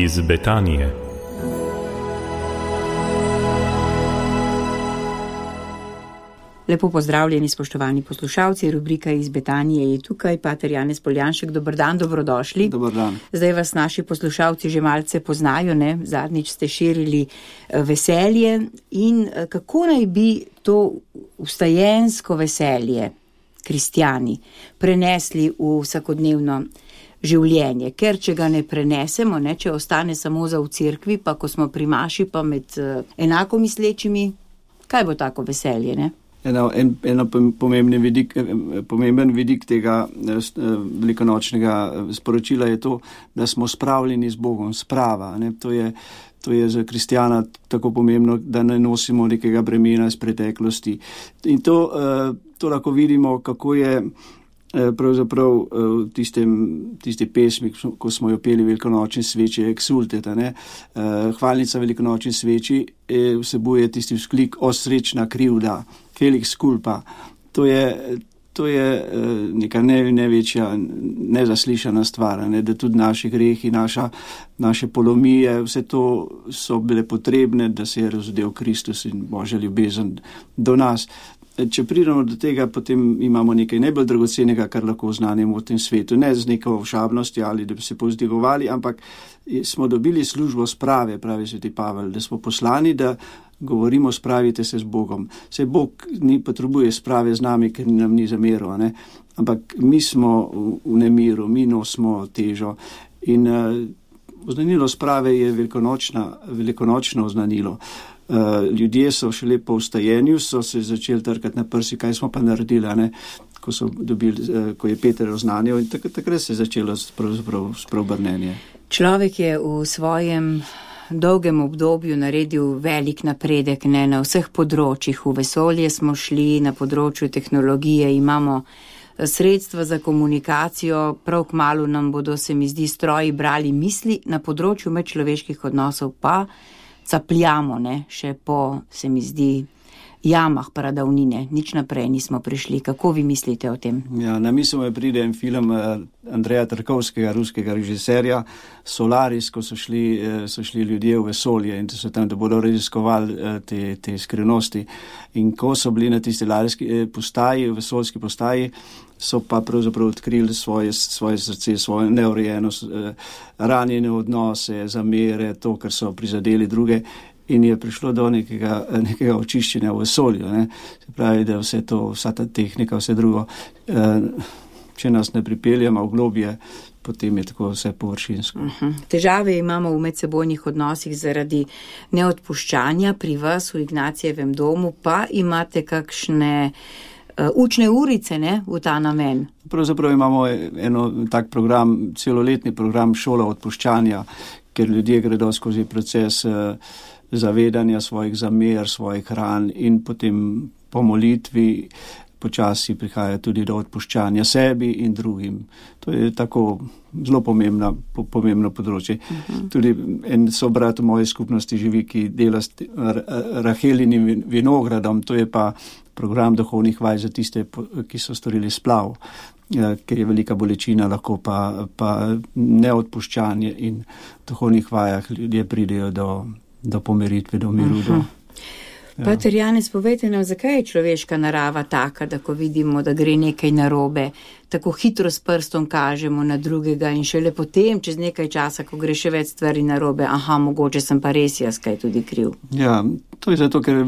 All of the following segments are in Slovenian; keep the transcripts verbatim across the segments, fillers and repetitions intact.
iz Betanije. Lepo pozdravljeni, spoštovani poslušalci, rubrika iz Betanije je tukaj, pater Janez Poljanšek, dober dan, dobrodošli. Dober dan. Zdaj vas naši poslušalci že malce poznajo, ne? Zadnjič ste širili veselje in kako naj bi to vstajensko veselje kristjani prenesli v vsakodnevno življenje, ker če ga ne prenesemo, ne, če ostane samo za v cerkvi, pa ko smo pri maši, pa med enako mislečimi, kaj bo tako veselje, ne? Eno, en, eno pomemben vidik, pomemben vidik tega velikonočnega sporočila je to, da smo spravljeni z Bogom, sprava. Ne? To je, to je za kristjana tako pomembno, da ne nosimo nekega bremena iz preteklosti. In to, to lahko vidimo, kako je pravzaprav v tistem, tisti pesmi, ko smo jo peli velikonočni sveči, Exultet, ne? Hvalnica velikonočni sveči vsebuje tisti vzklik o srečna krivda, Felix culpa. To je, to je neka ne, največja nezaslišana stvar, ne? Da tudi naši grehi, naša, naše polomije, vse to so bile potrebne, da se je razodel Kristus in Božja ljubezen do nas. Če pridemo do tega, potem imamo nekaj najbolj dragocenega, kar lahko oznanimo v tem svetu. Ne z neko všabnosti ali da bi se povzdigovali, ampak smo dobili službo sprave, pravi sveti Pavel, da smo poslani, da govorimo, spravite se z Bogom. Saj Bog ni potrebuje sprave z nami, ker nam ni zameril, ne? Ampak mi smo v nemiru, mi nosimo težo. In uh, oznanilo sprave je velikonočno oznanilo. Uh, ljudje so šele po vstajenju, so se začeli trkati na prsi, kaj smo pa naredili, ne? Ko, so dobili, uh, ko je Peter oznanil, in takrat, takrat se je začelo spreobrnenje. Človek je v svojem dolgem obdobju naredil velik napredek, ne, na vseh področjih. V vesolje smo šli, na področju tehnologije imamo sredstva za komunikacijo, prav kmalu nam bodo, se mi zdi, stroji brali misli, na področju medčloveških odnosov pa capljamo, ne, še po, se mi zdi, jamah pradavnine, nič naprej nismo prišli. Kako vi mislite o tem? Ja, na misel me pride en film Andreja Tarkovskega, ruskega režiserja, Solaris, ko so šli, so šli ljudje v vesolje in so tam, da bodo raziskovali te, te skrivnosti. In ko so bili na tisti larijski postaji, vesoljski postaji, so pa pravzaprav odkrili svoje, svoje srce, svojo neurejenost, ranjene odnose, zamere, to, kar so prizadeli druge. In je prišlo do nekega, nekega očiščenja v vesolju. Ne? Se pravi, da vse to, vsa ta tehnika, vse drugo, če nas ne pripeljamo v globje, potem je tako vse površinsko. Uh-huh. Težave imamo v medsebojnih odnosih zaradi neodpuščanja. Pri vas v Ignacijevem domu pa imate kakšne uh, učne urice, ne, v ta namen? Pravzaprav imamo eno tak program, celoletni program šola odpuščanja, ker ljudje gredo skozi proces uh, zavedanja svojih zamer, svojih ran in potem po molitvi počasi prihaja tudi do odpuščanja sebi in drugim. To je tako zelo pomembna, po, pomembno področje. Uh-huh. Tudi en sobrat v moji skupnosti živi, ki dela s Rahelinim vinogradom, to je pa program duhovnih vaj za tiste, ki so storili splav, ker je velika bolečina, lahko pa, pa neodpuščanje in v duhovnih vajah ljudje pridejo do do pomiritve, do miru. Uh-huh. do, ja. Pater Janez, povejte nam, zakaj je človeška narava taka, da ko vidimo, da gre nekaj narobe, tako hitro s prstom kažemo na drugega in šele potem, čez nekaj časa, ko gre še več stvari narobe, aha, mogoče sem pa res jaz kaj tudi kriv. Ja, to je zato, ker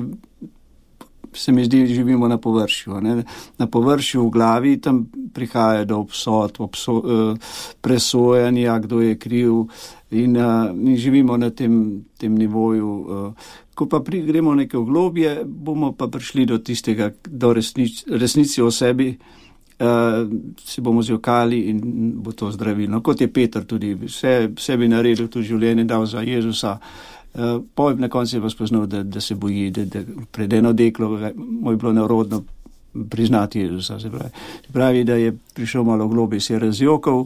se mi zdi, živimo na površju. Ne? Na površju v glavi tam prihaja do obsod, obso, uh, presojanja, kdo je kriv in, uh, in živimo na tem, tem nivoju. Uh, ko pa pri, gremo nekaj v globje, bomo pa prišli do tistega, do resnic, resnici o sebi, uh, se bomo zjokali in bo to zdravilno. Kot je Peter tudi vse, sebi naredil, tudi življenje dal za Jezusa. Uh, Pojem na koncu je pa spoznal, da, da se boji, da, da pred eno deklo mu je bilo neurodno priznati Jezusa. Se pravi. se pravi, da je prišel malo globje, se je razjokal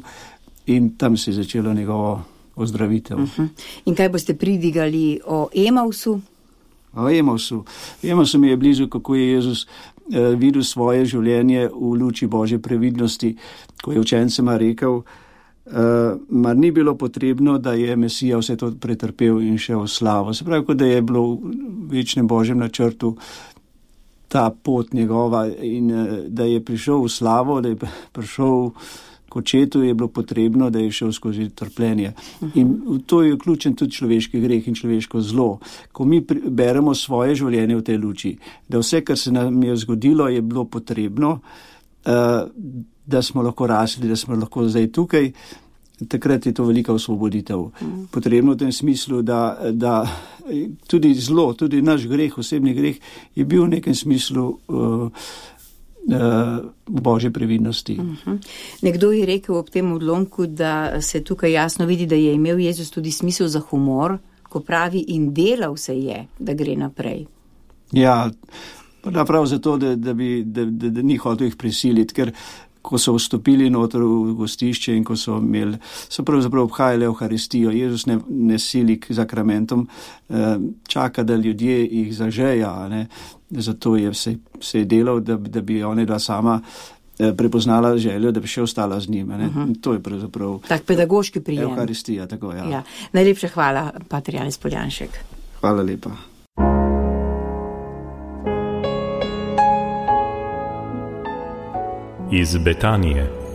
in tam se je začelo njegovo ozdravitev. Uh-huh. In kaj boste pridigali o Emausu? O Emausu. Emausu mi je blizu, kako je Jezus eh, videl svoje življenje v luči Božje previdnosti, ko je učencema rekel, uh, mar ni bilo potrebno, da je Mesija vse to pretrpel in šel v slavo. Se pravi, kot da je bilo v večnem Božjem načrtu ta pot njegova in uh, da je prišel v slavo, da je prišel k očetu, je bilo potrebno, da je šel skozi trpljenje. In v to je vključen tudi človeški greh in človeško zlo. Ko mi beremo svoje življenje v tej luči, da vse, kar se nam je zgodilo, je bilo potrebno, da smo lahko rasli, da smo lahko zdaj tukaj, takrat je to velika osvoboditev. Potrebno v tem smislu, da, da tudi zlo, tudi naš greh, osebni greh, je bil v nekem smislu uh, v Božji previdnosti. Uh-huh. Nekdo je rekel ob tem odlomku, da se tukaj jasno vidi, da je imel Jezus tudi smisel za humor, ko pravi in delal se je, da gre naprej. Ja, prav zato, da, da, bi, da, da, da ni hotel jih prisiliti, ker ko so vstopili noter v gostišče in ko so imeli, so pravzaprav obhajali Evharistijo. Jezus ne, ne sili k zakramentom, čaka, da ljudje jih zažeja, ne. Zato je se, se je delal, da, da bi ona dva sama prepoznala željo, da bi še ostala z njima. Ne. Uh-huh. To je pravzaprav tak pedagoški prijem. Evharistija, tako ja. Ja. Najlepša hvala, pater Janez Poljanšek. Hvala lepa. Iz Betanije.